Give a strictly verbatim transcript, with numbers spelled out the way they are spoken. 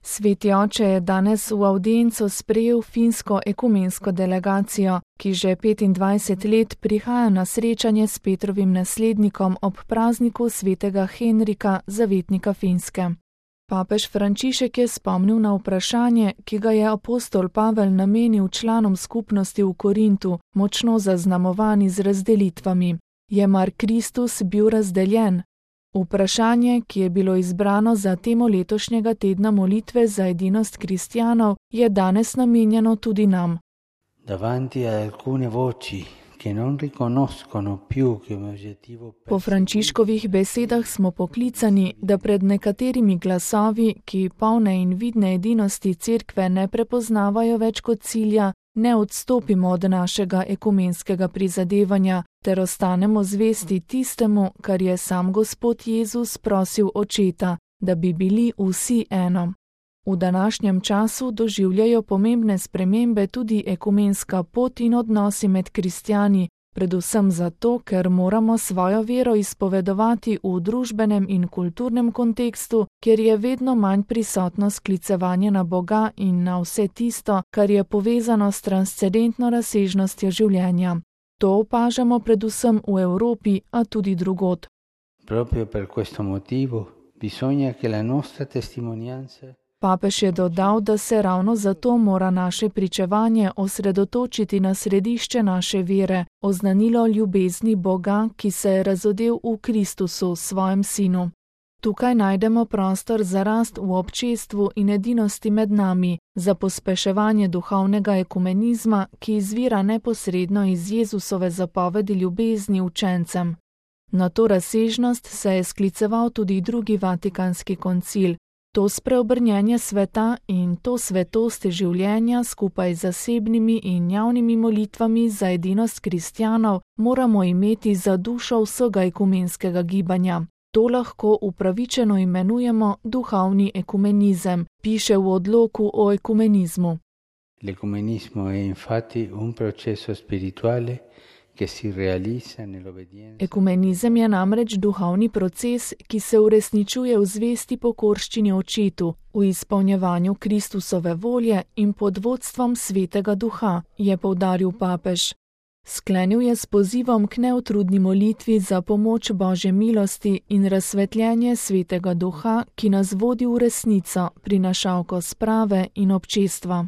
Sveti oče je danes v avdienco sprejel finsko ekumensko delegacijo, ki že petindvajset let prihaja na srečanje s Petrovim naslednikom ob prazniku svetega Henrika, zavetnika Finske. Papež Frančišek je spomnil na vprašanje, ki ga je apostol Pavel namenil članom skupnosti v Korintu, močno zaznamovani z razdelitvami. Je mar Kristus bil razdeljen? Vprašanje, ki je bilo izbrano za temo letošnjega tedna molitve za edinost kristjanov, je danes namenjeno tudi nam. Po Frančiškovih besedah smo poklicani, da pred nekaterimi glasovi, ki polne in vidne edinosti Cerkve ne prepoznavajo več kot cilja, ne odstopimo od našega ekumenskega prizadevanja, ter ostanemo zvesti tistemu, kar je sam Gospod Jezus prosil Očeta, da bi bili vsi eno. V današnjem času doživljajo pomembne spremembe tudi ekumenska pot in odnosi med kristjani, predvsem zato, ker moramo svojo vero izpovedovati v družbenem in kulturnem kontekstu, kjer je vedno manj prisotno sklicevanje na Boga in na vse tisto, kar je povezano s transcendentno razsežnostjo življenja. To opažamo predvsem v Evropi, a tudi drugod. Proprio per questo motivo bisogna che la nostra testimonianza. Papež je dodal, da se ravno zato mora naše pričevanje osredotočiti na središče naše vere, oznanilo ljubezni Boga, ki se je razodel v Kristusu, svojem sinu. Tukaj najdemo prostor za rast v občestvu in edinosti med nami, za pospeševanje duhovnega ekumenizma, ki izvira neposredno iz Jezusove zapovedi ljubezni učencem. Na to razsežnost se je skliceval tudi drugi vatikanski koncil. To spreobrnjenje sveta in to svetost življenja skupaj z zasebnimi in javnimi molitvami za edinost kristjanov moramo imeti za dušo vsega ekumenskega gibanja. To lahko upravičeno imenujemo duhovni ekumenizem, piše v odloku o ekumenizmu. L'ecumenismo è infatti un processo spirituale. Ekumenizem je namreč duhovni proces, ki se uresničuje v zvesti pokorščini Očetu, v izpolnjevanju Kristusove volje in pod vodstvom Svetega Duha, je poudaril papež. Sklenil je s pozivom k neutrudni molitvi za pomoč Božje milosti in razsvetljenje Svetega Duha, ki nas vodi v resnico, prinašalko sprave in občestva.